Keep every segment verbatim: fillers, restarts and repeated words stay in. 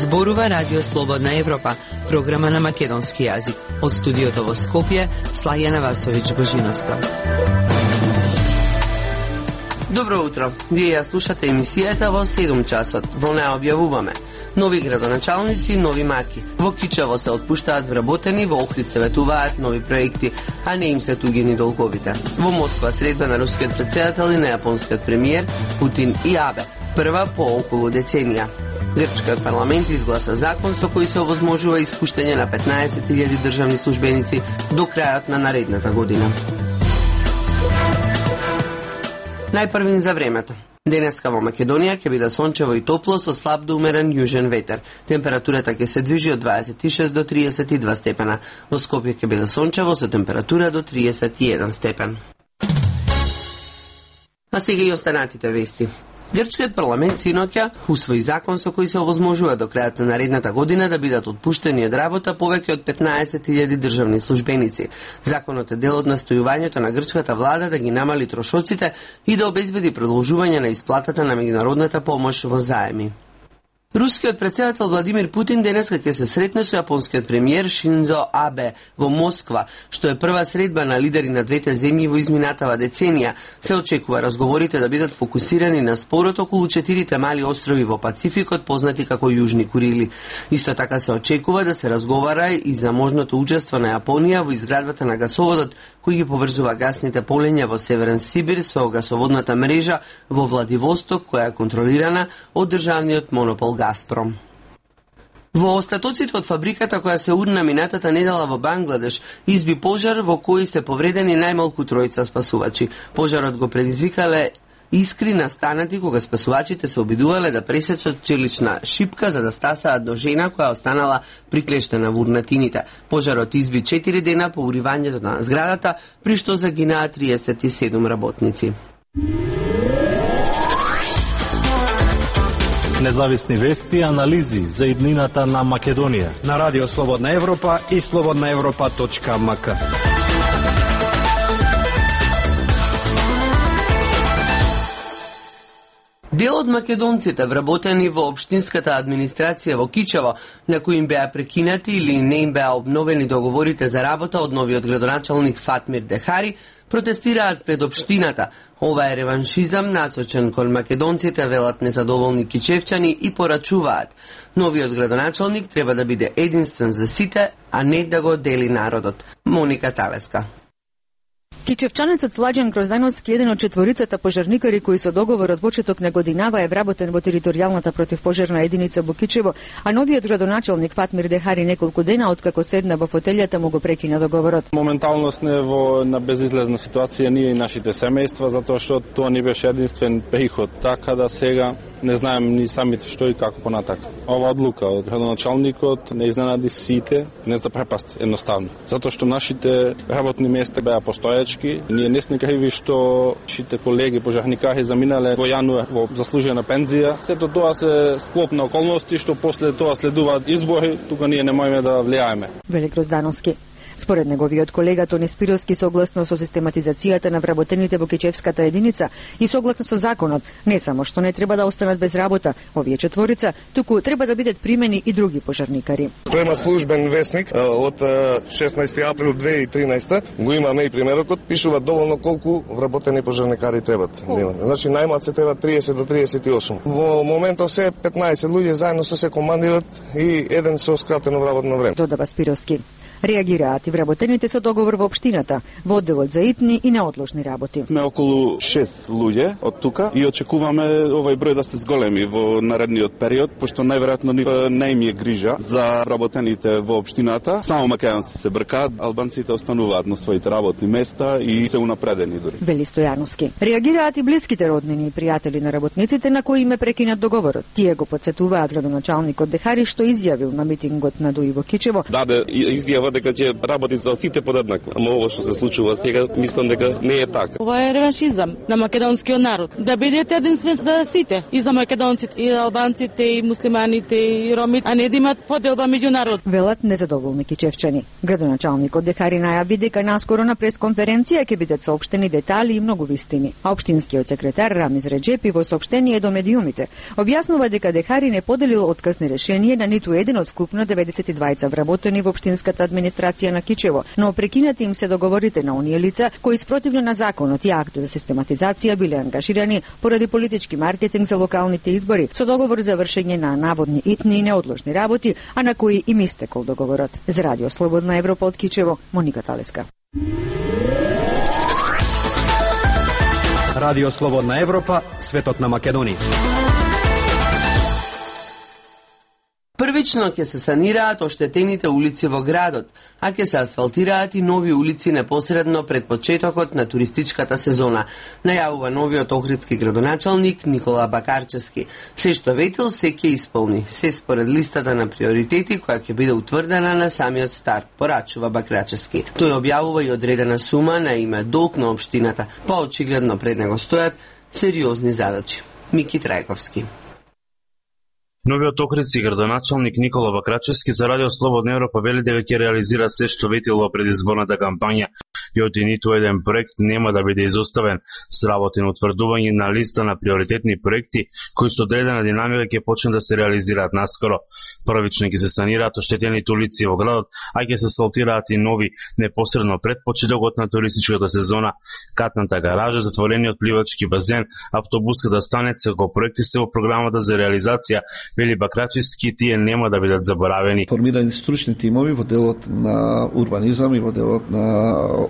Зборува Радио Слободна Европа, програма на македонски јазик. Од студиото во Скопје, Слајана Васовиќ Божиновска. Добро утро. Вие ја слушате емисијата во седум часот. Во неа објавуваме нови градоначалници, нови маки. Во Кичево се отпуштаат вработени, во Охрид се ветуваат нови проекти, а не им се тугини долговите. Во Москва средба на рускиот претседател и на јапонскиот премиер Путин и Абе. Прва по околу деценија. Грчкиот парламент изгласа закон со кој се овозможува испуштање на петнаесет илјади државни службеници до крајот на наредната година. Најпрвин за времето. Денеска во Македонија ќе биде сончево и топло со слаб до умерен јужен ветер. Температурата ќе се движи од дваесет и шест до триесет и два степена. Во Скопје ќе биде сончево со температура до триесет и еден степен. А сега и останатите вести. Грчкиот парламент синоќа усвои закон со кој се овозможува до крајот на наредната година да бидат отпуштени од работа повеќе од петнаесет илјади државни службеници. Законот е дел од настојувањето на грчката влада да ги намали трошоците и да обезбеди продолжување на исплатата на меѓународната помош во заеми. Рускиот претседател Владимир Путин денеска ќе се сретне со јапонскиот премиер Шинзо Абе во Москва, што е прва средба на лидери на двете земји во изминатава деценија. Се очекува разговорите да бидат фокусирани на спорот околу четирите мали острови во Пацификот, познати како Јужни Курили. Исто така се очекува да се разговара и за можното учество на Јапонија во изградбата на гасоводот кој ги поврзува гасните полења во Северен Сибир со гасоводната мрежа во Владивосток, која е контролирана од државниот монопол Газпром. Во остатоците од фабриката која се урна минатата недела во Бангладеш изби пожар во кој се повредени најмалку тројца спасувачи. Пожарот го предизвикале искри настанати кога спасувачите се обидувале да пресечат челична шипка за да стасаат до жена која останала приклештена во урнатините. Пожарот изби четири дена по уривањето на зградата, при што загинаа триесет и седум работници. Независни вести и анализи за иднината на Македонија на Радио Слободна Европа и слободна европа точка ем ка. Дел од македонците вработени во општинската администрација во Кичево, на кои им беа прекинати или не им беа обновени договорите за работа од новиот градоначалник Фатмир Дехари, протестираат пред општината. Ова е реваншизам насочен кон македонците, велат незадоволни кичевчани и порачуваат. Новиот градоначалник треба да биде единствен за сите, а не да го дели народот. Моника Талеска. Кичевчанецот Сладжан Гроздановски, еден од четворицата пожарникари кои со договор од почеток на годинава е вработен во територијалната противпожарна единица во Кичево, а новиот градоначалник Фатмир Дехари неколку дена откако седна во фотелјата му го прекина договорот. Моментално сме во на безизлезна ситуација ние и нашите семејства, затоа што тоа ни беше единствен приход, така да сега не знаем ни самите што и како понатака. Ова одлука од градоначалникот не изненади сите, не запрепасти едноставно, затоа што нашите работни места беа постојачки. Ние не сме криви што нашите колеги пожарникари заминале во јануар во заслужена пензија. Сето тоа се склоп на околности што после тоа следуваат избори, тука ние не можеме да влијаеме. Вели Гроздановски. Според неговиот колега Тони Спировски, согласно со систематизацијата на вработените во Кичевската единица и согласно со законот, не само што не треба да останат без работа овие четворица, туку треба да бидат примени и други пожарникари. Према службен весник од шеснаесети април две илјади и тринаесета го имаме и примерокот, пишува доволно колку вработени пожарникари требат. Значи најмалку се треба триесет до триесет и осум. Во моментот се петнаесет луѓе заедно со се командирот и еден со скратено вработно време. Додава Спировски. Реагираат и вработените со договор во општината, во одделот за итни и неотложни работи. Сме околу шест луѓе од тука и очекуваме овој број да се зголеми во наредниот период, пошто најверојатно не им е грижа за вработените во општината. Само македонци се бркаат, албанците остануваат на своите работни места и се унапредени дури. Вели Стојановски. Реагираат и блиските роднини и пријатели на работниците на кои им е прекинат договорот. Тие го потсетуваат градоначалникот Дехари што изјавил на митингот на Дуи во Кичево. Даде изјава дека ќе работи за сите подеднакво. Ама ова што се случува сега, мислам дека не е така. Ова е реваншизам на македонскиот народ. Да бидете единствен за сите, и за македонците, и албанците, и муслиманите, и ромите, а не да имат поделба меѓу народ. Велат незадоволни кичевчани. Градоначалникот Дехари најави дека наскоро на пресконференција ќе бидат соопштени детали и многу вистини. А општинскиот секретар Рамиз Реджепи во соопштение до медиумите објаснува дека Дехари не поделил отказни решение на ниту еден од вкупно деветдесет и двајца вработени во општинската администрација на Кичево, но прекинати им се договорите на оние лица кои спротивно на законот и актот за систематизација биле ангажирани поради политички маркетинг за локалните избори со договор за вршење на наводни итни и неодложни работи, а на кои им истекол договорот. За Радио Слободна Европа од Кичево, Моника Талеска. Радио Слободна Европа, светот на Македонија. Првично ќе се санираат оштетените улици во градот, а ќе се асфалтираат и нови улици непосредно пред почетокот на туристичката сезона, најавува новиот охридски градоначалник Никола Бакарчевски. Се што ветил се ќе исполни, се според листата на приоритети која ќе биде утврдена на самиот старт, порачува Бакарчевски. Тој објавува и одредена сума на име долг на општината, па очигледно пред него стојат сериозни задачи. Мики Трајковски. Новиот охридски градоначалник Никола Бакрачевски за Радио Слободна Европа вели дека ќе реализира се што ветил во предизборната кампања и оти ниту еден проект нема да биде изоставен. С работи на утврдување на листа на приоритетни проекти кои со одредена динамика ќе почнат да се реализираат наскоро. Првично ќе се санираат оштетените улици во градот, а ќе се асфалтираат и нови непосредно пред почетокот на туристичката сезона. Катната гаража, затворениот пливачки базен, автобуската станица како проекти се во програмата за реализација, вели Бакрачевски, тие нема да бидат заборавени. Формирани стручни тимови во делот на урбанизам и во делот на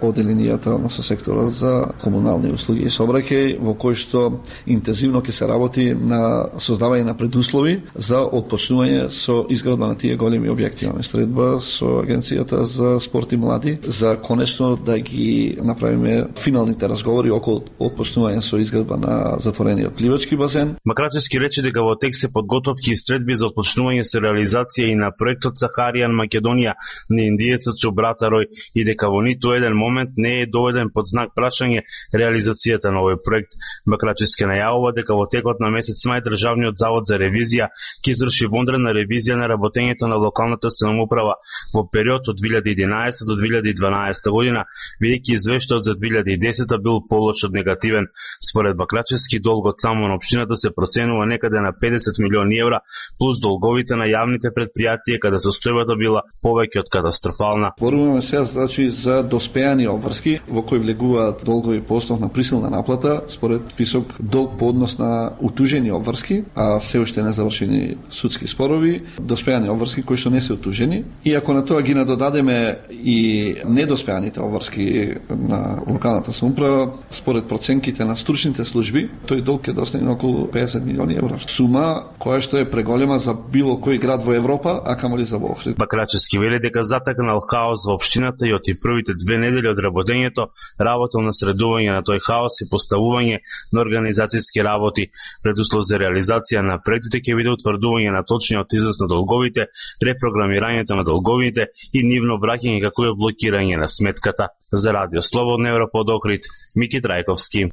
оделенијата со сектора за комунални услуги и сообраќај, во кој што интензивно ќе се работи на создавање на предуслови за отпочнување со изградба на тие големи објекти. Имаме средба со Агенцијата за спорт и млади за конечно да ги направиме финалните разговори околу отпочнување со изградба на затворениот пливачки базен. Бакрачевски рече дека во текст се подготовки и средби за отпочнување со реализација и на проектот Сахаријан Македонија на индиецот Чубрата Рој и дека во ниту еден момент не е доведен под знак прашање реализацијата на овој проект. Бакрачевски најавува дека во текот на месец мај Државниот завод за ревизија ќе изврши вонредна ревизија на работењето на локалната самоуправа во период од две илјади и единаесета до две илјади и дванаесета година, бидејќи извештајот за две илјади и десета бил полош од негативен. Според Бакрачевски, долгот само на општината се проценува некаде на педесет милиони евра, плюс долговите на јавните предпријатија, каде состојбата била повеќе од катастрофална. Зборуваме сега значи за доспеани обврски во кои влегуваат долгови по основ на присилна наплата според список долг по однос на утужени обврски, а се уште не завршени судски спорови, доспеани обврски кои што не се утужени, и ако на тоа ги надодадеме и недоспеаните обврски на локалната самоуправа, според проценките на стручните служби, тој долг ќе достигне на околу педесет милиони евра. Сума која што е преголема за било кој град во Европа, а камоли за Охрид. Бакрачевски вели дека затакнал хаос во општината и од првите две недели од работењето работел на средување на тој хаос и поставување на организацијски работи. Предуслов за реализација на проектите ќе биде утврдување на точниот износ на долговите, репрограмирањето на долговите и нивно враќање како и блокирање на сметката. За Радио Слободна Европа од Охрид, Мики Трајковски.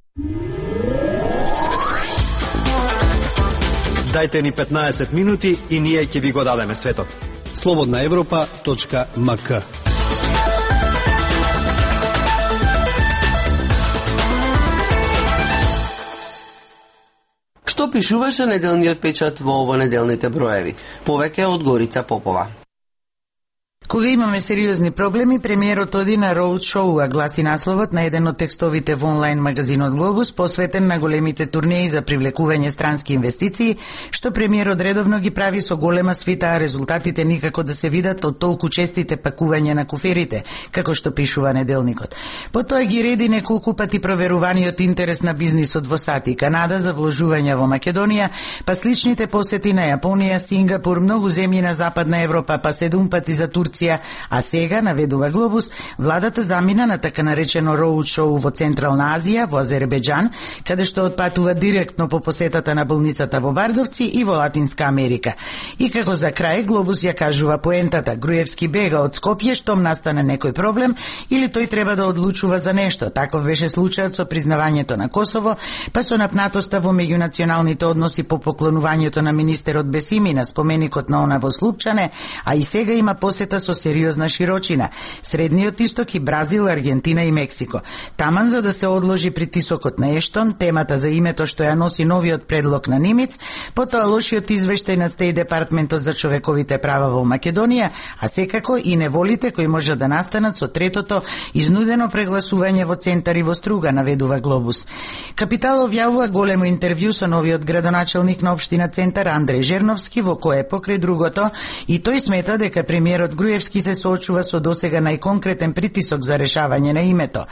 Дајте ни петнаесет минути и ние ќе ви го дадеме светот. слободна европа точка ем ка. Што пишуваше неделниот печат во ово неделните броеви? Повеќе од Горица Попова. Кога имаме сериозни проблеми, премиерот оди на роуд шоу, гласи насловот на еден од текстовите во онлайн магазинот Глобус, посветен на големите турнеи за привлекување странски инвестиции, што премиерот редовно ги прави со голема свита, а резултатите никако да се видат од толку честите пакување на куферите, како што пишува неделникот. Потоа ги реди неколку пати проверуваниот интерес на бизнисот во САД и Канада за вложување во Македонија, па сличните посети на Јапонија, Сингапур, многу земји на Западна Европа, па седум пати за Турција продукција, а сега, наведува Глобус, владата замина на така наречено роуд шоу во Централна Азија, во Азербеџан, каде што отпатува директно по посетата на болницата во Бардовци и во Латинска Америка. И како за крај, Глобус ја кажува поентата: Груевски бега од Скопје штом настане некој проблем или тој треба да одлучува за нешто. Таков беше случајот со признавањето на Косово, па со напнатоста во меѓунационалните односи по поклонувањето на министерот Бесими на споменикот на она во Слупчане, а и сега има посета со сериозна широчина: Средниот исток и Бразил, Аргентина и Мексико. Таман за да се одложи притисокот на Ештон, темата за името што ја носи новиот предлог на Нимиц, потоа лошиот извештај на Стеј департментот за човековите права во Македонија, а секако и неволите кои може да настанат со третото изнудено прегласување во центари во Струга, наведува Глобус. Капитал објавува големо интервју со новиот градоначелник на општина Центар Андреј Жерновски, во кое покрај другото и тој смета дека премиерот Груевски се соочува со досега најконкретен притисок за решавање на името.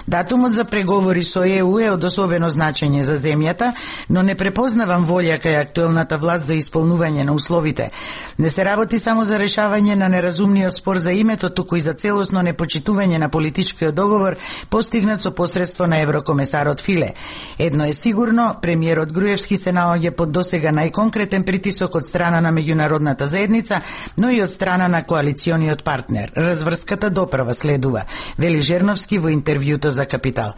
Датумот за преговори со Е У е од особено значење за земјата, но не препознавам волја кај актуелната власт за исполнување на условите. Не се работи само за решавање на неразумниот спор за името, туку и за целосно непочитување на политичкиот договор постигнат со посредство на еврокомесарот Филе. Едно е сигурно, премиерот Груевски се наоѓа под досега најконкретен притисок од страна на меѓународната заедница, но и од страна на коалициониот партнер. Разврската доправа следува, вели Жерновски во интервјуто за Капитал.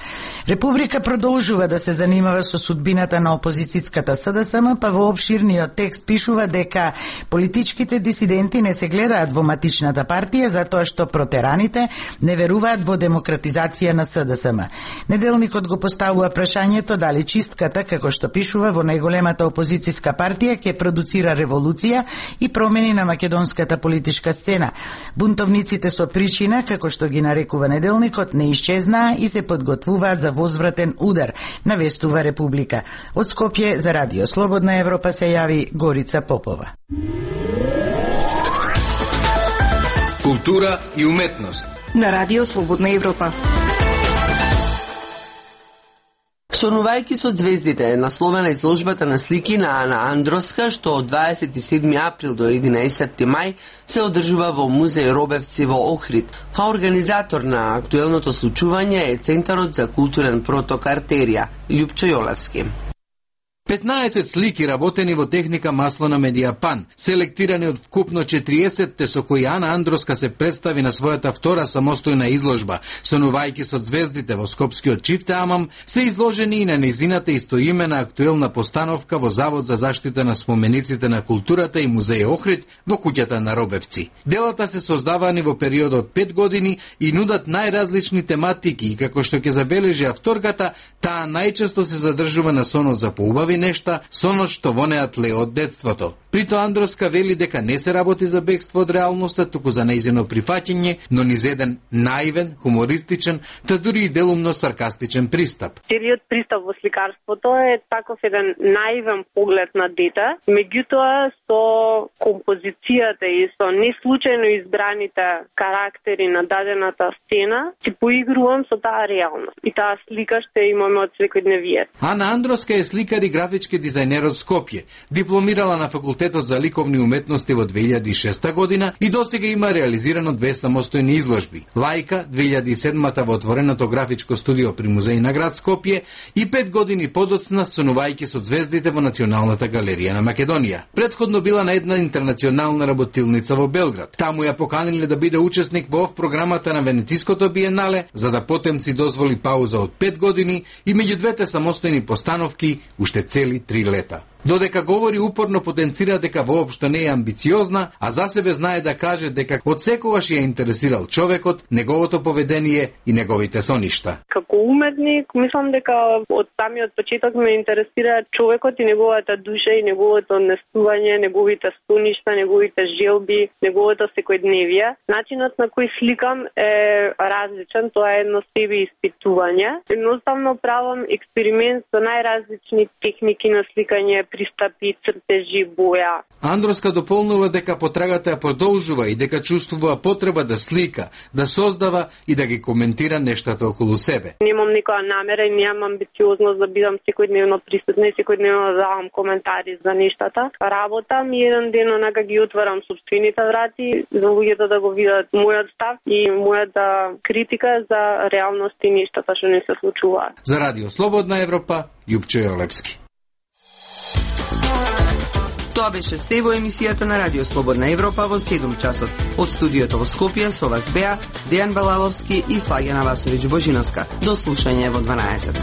Република продолжува да се занимава со судбината на опозицијската С Д С М, па во обширниот текст пишува дека политичките дисиденти не се гледаат во матичната партија затоа што протераните не веруваат во демократизација на С Д С М. Неделникот го поставува прашањето дали чистката, како што пишува, во најголемата опозицијска партија ќе продуцира револуција и промени на македонската политичка сцена. Бунтовниците со причина, како што ги нарекува неделникот, не исчезнаа и се подготвуваат за возвратен удар, навестува Република. Од Скопје за Радио Слободна Европа се јави Горица Попова. Култура и уметност на Радио Слободна Европа. Сонувајќи со звездите е насловена изложбата на слики на Ана Андроска, што од дваесет и седми април до единаесетти мај се одржува во музеј Робевци во Охрид, а организатор на актуелното случување е Центарот за културен проток Артерија, Љупчо Јолевски. петнаесет слики работени во техника масло на медиапан, селектирани од вкупно четириесет, со кои Ана Андроска се представи на својата втора самостојна изложба. Сонувајќи со звездите во Скопскиот Чифте Амам, се изложени и на незината истоимена актуелна постановка во Завод за заштита на спомениците на културата и музеј Охрид во куќата на Робевци. Делата се создавани во период од пет години и нудат најразлични тематики и како што ќе забележи авторката, таа најчесто се задржува на сонот за поубави нешта, сонот што вонеат ле од детството. Прито Андроска вели дека не се работи за бегство од реалноста, туку за нејзино прифаќање, но низ еден наивен, хумористичен, та дури и делумно саркастичен пристап. Целиот пристап во сликарството е таков еден наивен поглед на дете, меѓутоа со композицијата и со неслучајно избраните карактери на дадената сцена, си поигрувам со таа реалност. И таа слика што имаме од секојдневието. Ана Андроска е сликар и графички дизајнер од Скопје. Дипломирала на Факултетот за ликовни уметности во две илјади и шеста година и досега има реализирано две самостојни изложби. Лајка две илјади и седма во отвореното графичко студио при музеј на град Скопје и пет години подоцна сонувајќи со звездите во Националната галерија на Македонија. Предходно била на една интернационална работилница во Белград. Таму ја поканиле да биде учесник во програмата на Венециското биенале, за да потем си дозволи пауза од пет години и меѓу двете самостојни постановки уште цели три лета. Додека говори упорно потенцира дека воопшто не е амбициозна, а за себе знае да каже дека од секогаш ја интересирал човекот, неговото поведение и неговите соништа. Како уметник, мислам дека од самиот почеток ме интересира човекот и неговата душа и неговото однесување, неговите соништа, неговите желби, неговото секојдневие. Начинот на кој сликам е различен, тоа е едно себе испитување. Едноставно правам експеримент со најразлични техники на сликање, пристапи, цртежи, боја. Андроска дополнува дека потрагата ја продолжува и дека чувствува потреба да слика, да создава и да ги коментира нештата околу себе. Немам никоја намера и немам амбициозност да бидам секојдневно присутна и секојдневно да давам коментари за нештата. Работам и еден ден онака ги отварам собствените врати за луѓето да го видат мојот став и мојата критика за реалност и нештата што не се случуваат. За Радио Слободна Европа, Јупчо Јолевски. Тоа беше се во емисијата на Радио Слободна Европа во седум часот. Од студиото во Скопје со вас беа Дејан Балаловски и Слагена Васовиќ Божиновска. До слушање во дванаесет.